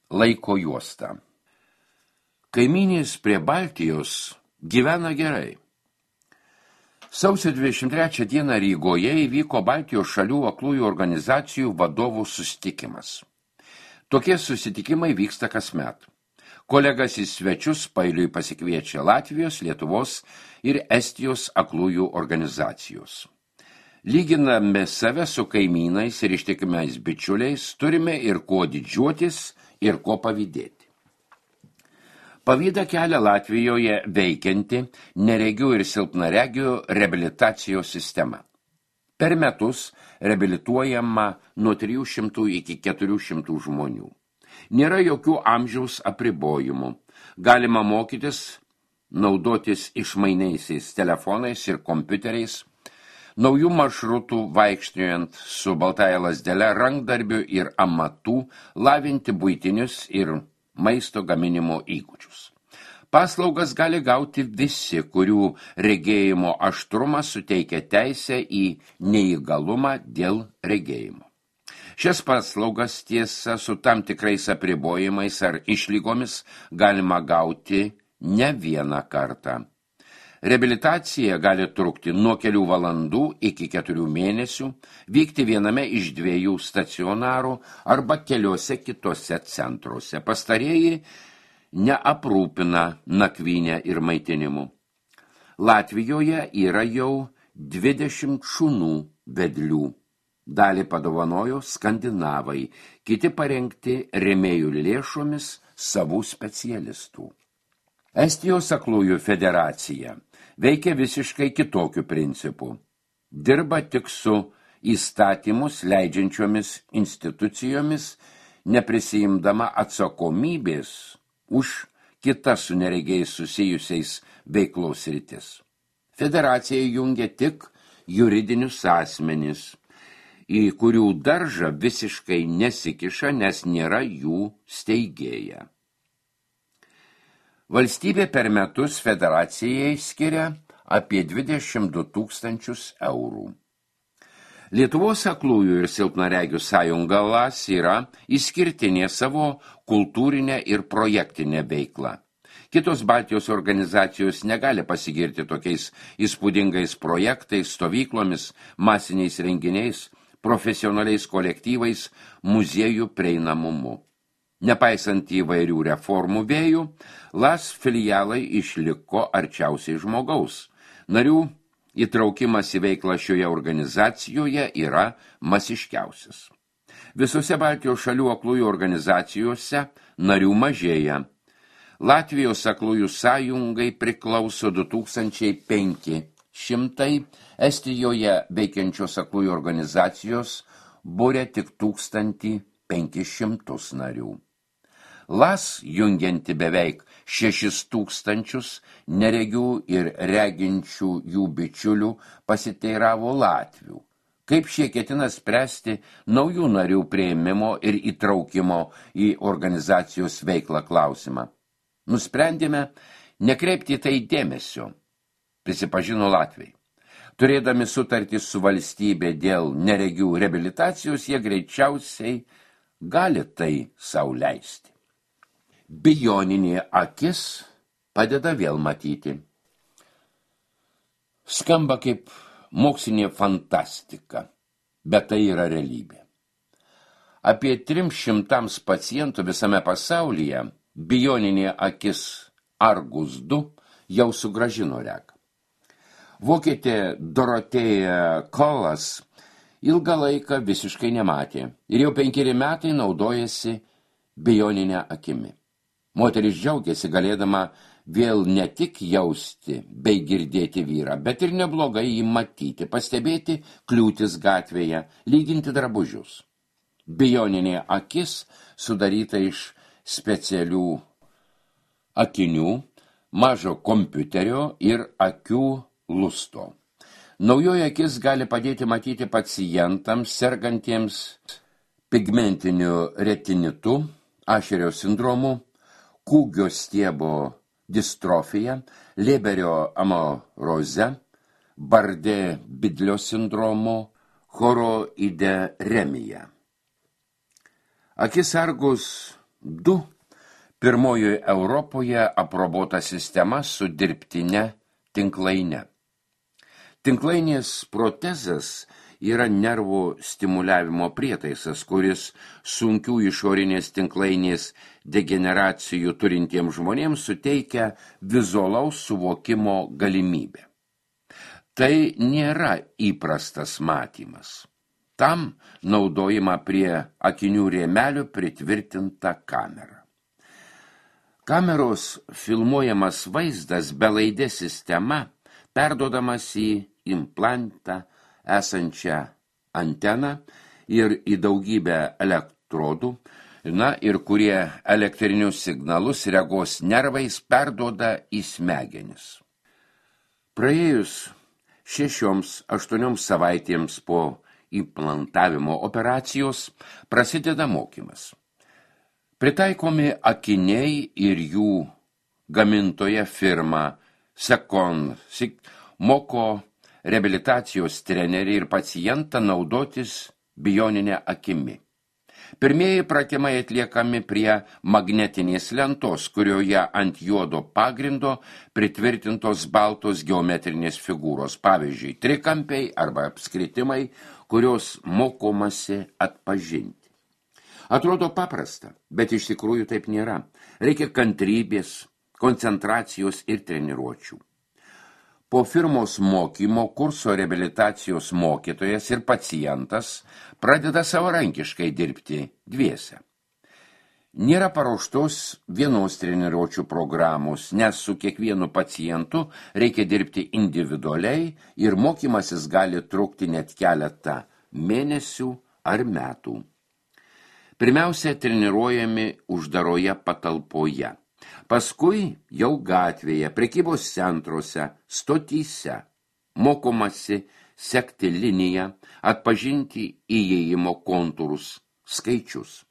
Laiko juosta. Kaimynės prie Baltijos gyvena gerai. Sausio 23 dieną Rygoje įvyko Baltijos šalių aklųjų organizacijų vadovų susitikimas. Tokie susitikimai vyksta kasmet. Kolegas į svečius pailiui pasikviečia Latvijos, Lietuvos ir Estijos aklųjų organizacijos. Lyginame save su kaimynais ir ištikimais bičiuliais, turime ir kuo didžiuotis, ir ko pavydėti. Pavydą kelia Latvijoje veikianti neregių ir silpnaregių reabilitacijos sistema. Per metus reabilituojama nuo 300 iki 400 žmonių. Nėra jokių amžiaus apribojimų. Galima mokytis, naudotis išmainiaisiais telefonais ir kompiuteriais, naujų maršrutų vaikščiojant su baltąja lazdele, rankdarbių ir amatų, lavinti buitinius ir maisto gaminimo įgūdžius. Paslaugas gali gauti visi, kurių regėjimo aštrumas suteikia teisę į neįgalumą dėl regėjimo. Šias paslaugas tiesa su tam tikrais apribojimais ar išlygomis galima gauti ne vieną kartą. Reabilitacija gali trukti nuo kelių valandų iki 4 mėnesių, vykti viename iš 2 stacionarų arba keliose kitose centruose. Pastarieji neaprūpina nakvynę ir maitinimu. Latvijoje yra jau 20 šunų vedlių. Dalį padovanojo skandinavai, kiti parengti rėmėjų lėšomis savų specialistų. Estijos aklųjų federacija veikia visiškai kitokiu principu. Dirba tik su įstatymus leidžiančiomis institucijomis, neprisijimdama atsakomybės už kitas su neregiais susijusiais veiklos sritis. Federacija jungia tik juridinius asmenis, į kurių daržą visiškai nesikiša, nes nėra jų steigėja. Valstybė per metus federacijai skiria apie 22 000 eurų. Lietuvos aklųjų ir silpnaregių sąjunga LAS yra išskirtinė savo kultūrinę ir projektinę veiklą. Kitos Baltijos organizacijos negali pasigirti tokiais įspūdingais projektais, stovyklomis, masiniais renginiais, profesionaliais kolektyvais, muziejų prieinamumu. Nepaisant įvairių reformų vėjų, LAS filialai išliko arčiausiai žmogaus. Narių įtraukimas į veiklą šioje organizacijoje yra masiškiausias. Visose Baltijos šalių aklųjų organizacijose narių mažėja. Latvijos aklųjų sąjungai priklauso 2500, Estijoje veikiančios aklųjų organizacijos būrė tik 1500 narių. LAS jungianti beveik 6000 neregių ir reginčių jų bičiulių pasiteiravo latvių. Kaip šie ketina spręsti naujų narių priėmimo ir įtraukimo į organizacijos veiklą klausimą? Nusprendėme nekreipti tai dėmesio, prisipažino latviai. Turėdami sutartį su valstybė dėl neregių reabilitacijos, jie greičiausiai gali tai sau leisti. Bioninė akis padeda vėl matyti. Skamba kaip mokslinė fantastika, bet tai yra realybė. Apie 300 pacientų visame pasaulyje bioninė akis Argus 2 jau sugrąžino regą. Vokietė Dorotėja Kolas ilgą laiką visiškai nematė ir jau 5 metai naudojasi bioninę akimi. Moteris džiaugiasi galėdama vėl ne tik jausti bei girdėti vyrą, bet ir neblogai jį matyti, pastebėti kliūtis gatvėje, lyginti drabužius. Bioninė akis sudaryta iš specialių akinių, mažo kompiuterio ir akių lusto. Naujoji akis gali padėti matyti pacientams sergantiems pigmentiniu retinitu, Ašerio sindromu, kūgio stiebo distrofija, Leberio amauroze, Bardė-Bidlio sindromu, choroideremija. Akis Argus 2. Pirmojoje Europoje aprobuota sistema su dirbtine tinklaine. Tinklainės protezas yra nervų stimuliavimo prietaisas, kuris sunkių išorinės tinklainės degeneracijų turintiems žmonėms suteikia vizualaus suvokimo galimybę. Tai nėra įprastas matymas. Tam naudojama prie akinių rėmelių pritvirtinta kamera. Kameros filmuojamas vaizdas belaidė sistema perduodamas į implantą esančią anteną ir į daugybę elektrodų, ir kurie elektrinius signalus regos nervais perduoda į smegenis. Praėjus 6-8 savaitėms po implantavimo operacijos prasideda mokymas. Pritaikomi akiniai ir jų gamintoja firma Second moko reabilitacijos treneriai ir pacientą naudotis bioninę akimi. Pirmieji pratimai atliekami prie magnetinės lentos, kurioje ant juodo pagrindo pritvirtintos baltos geometrinės figūros, pavyzdžiui, trikampiai arba apskritimai, kurios mokomasi atpažinti. Atrodo paprasta, bet iš tikrųjų taip nėra. Reikia kantrybės, koncentracijos ir treniruočių. Po firmos mokymo kurso reabilitacijos mokytojas ir pacientas pradeda savarankiškai dirbti dviese. Nėra paruoštos vienos treniruočių programos, nes su kiekvienu pacientu reikia dirbti individualiai ir mokymasis gali trukti net keletą mėnesių ar metų. Pirmiausia, treniruojami uždaroje patalpoje. Paskui jau gatvėje, prekybos centruose, stotyse. Mokomasi sekti liniją, atpažinti įėjimo kontūrus, skaičius.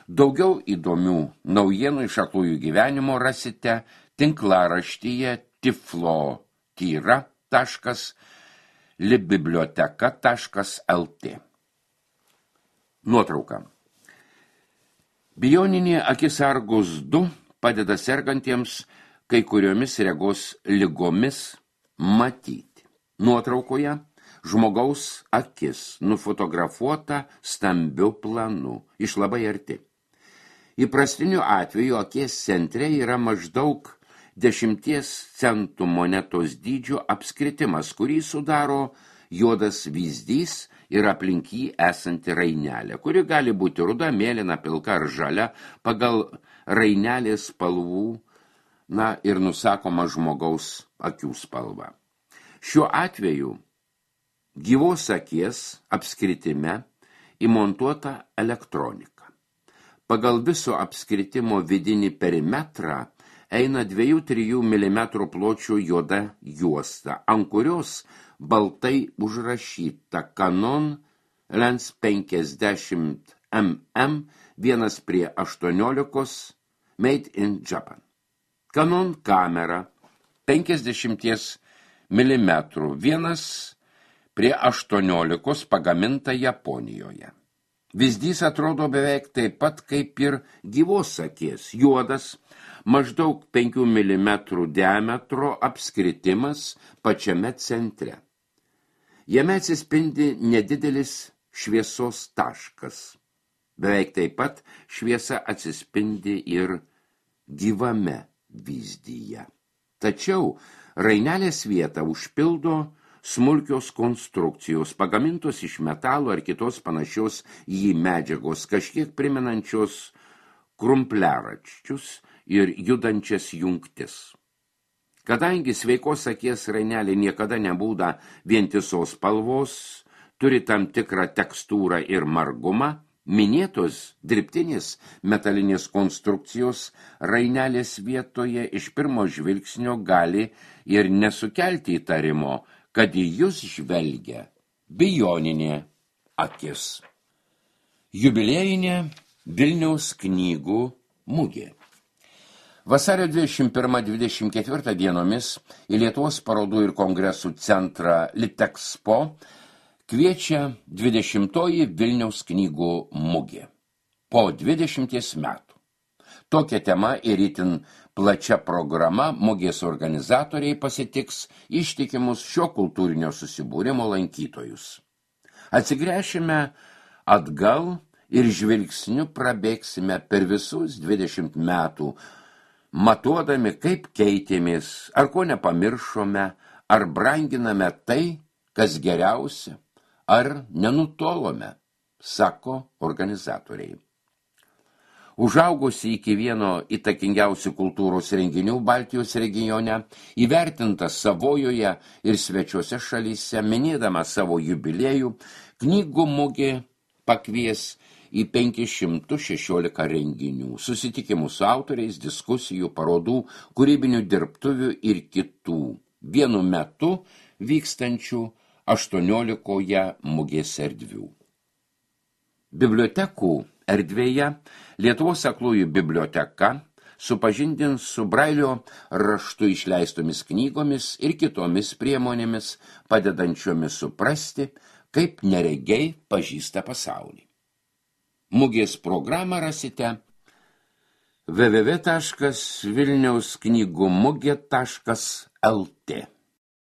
Daugiau įdomių naujienų iš aklųjų gyvenimo rasite tinklaraštyje tiflotyra.libiblioteka.lt. Nuotrauka. Bioninė akis Argus 2 padeda sergantiems kai kuriomis regos ligomis matyti. Nuotraukoje žmogaus akis nufotografuota stambiu planu, iš labai arti. Įprastiniu atveju akies centre yra maždaug 10 centų monetos dydžio apskritimas, kurį sudaro juodas vyzdys ir aplink jį esanti rainelė, kuri gali būti ruda, mėlyna, pilka ar žalia pagal rainelės spalvų, ir nusakoma žmogaus akių spalva. Šiuo atveju gyvos akies apskritime įmontuota elektronika. Pagal viso apskritimo vidinį perimetrą eina 2-3 mm pločio juoda juosta, ant kurios baltai užrašyta Canon Lens 50 mm 1:18 Made in Japan. Canon kamera 50 mm 1:18 pagaminta Japonijoje. Vyzdys atrodo beveik taip pat kaip ir gyvos akies, juodas, maždaug 5 mm diametro apskritimas pačiame centre. Jame atsispindi nedidelis šviesos taškas. Beveik taip pat šviesa atsispindi ir gyvame vyzdyje. Tačiau rainelės vietą užpildo smulkios konstrukcijos, pagamintos iš metalo ar kitos panašios į medžiagos, kažkiek primenančios krumpliaraščius ir judančias jungtis. Kadangi sveikos akies rainelė niekada nebūna vientisos spalvos, turi tam tikrą tekstūrą ir margumą, minėtos dirbtinės metalinės konstrukcijos rainelės vietoje iš pirmo žvilgsnio gali ir nesukelti įtarimo, kad į jūs žvelgia bioninė akis. Jubiliejinė Vilniaus knygų mugė. Vasario 21-24 dienomis į Lietuvos parodų ir kongresų centrą Litexpo kviečia 20-oji Vilniaus knygų mugė. po 20 metų. Tokia tema ir itin plačia programa mugės organizatoriai pasitiks ištikimus šio kultūrinio susibūrimo lankytojus. Atsigręšime atgal ir žvilgsniu prabėgsime per visus 20 metų, matuodami, kaip keitėmės, ar ko nepamiršome, ar branginame tai, kas geriausia, ar nenutolome, sako organizatoriai. Užaugusi iki vieno įtakingiausių kultūros renginių Baltijos regione, įvertinta Savojoje ir svečiuose šalyse, minėdama savo jubiliejų, knygų mugė pakvies į 516 renginių, susitikimų su autoriais, diskusijų, parodų, kūrybinių dirbtuvių ir kitų, vienu metu vykstančių 18 mugės erdvių. Bibliotekų erdvėje Lietuvos aklųjų biblioteka supažindins su Brailio raštu išleistomis knygomis ir kitomis priemonėmis, padedančiomis suprasti, kaip neregiai pažįsta pasaulį. Mugės programą rasite www.vilniausknygumugė.lt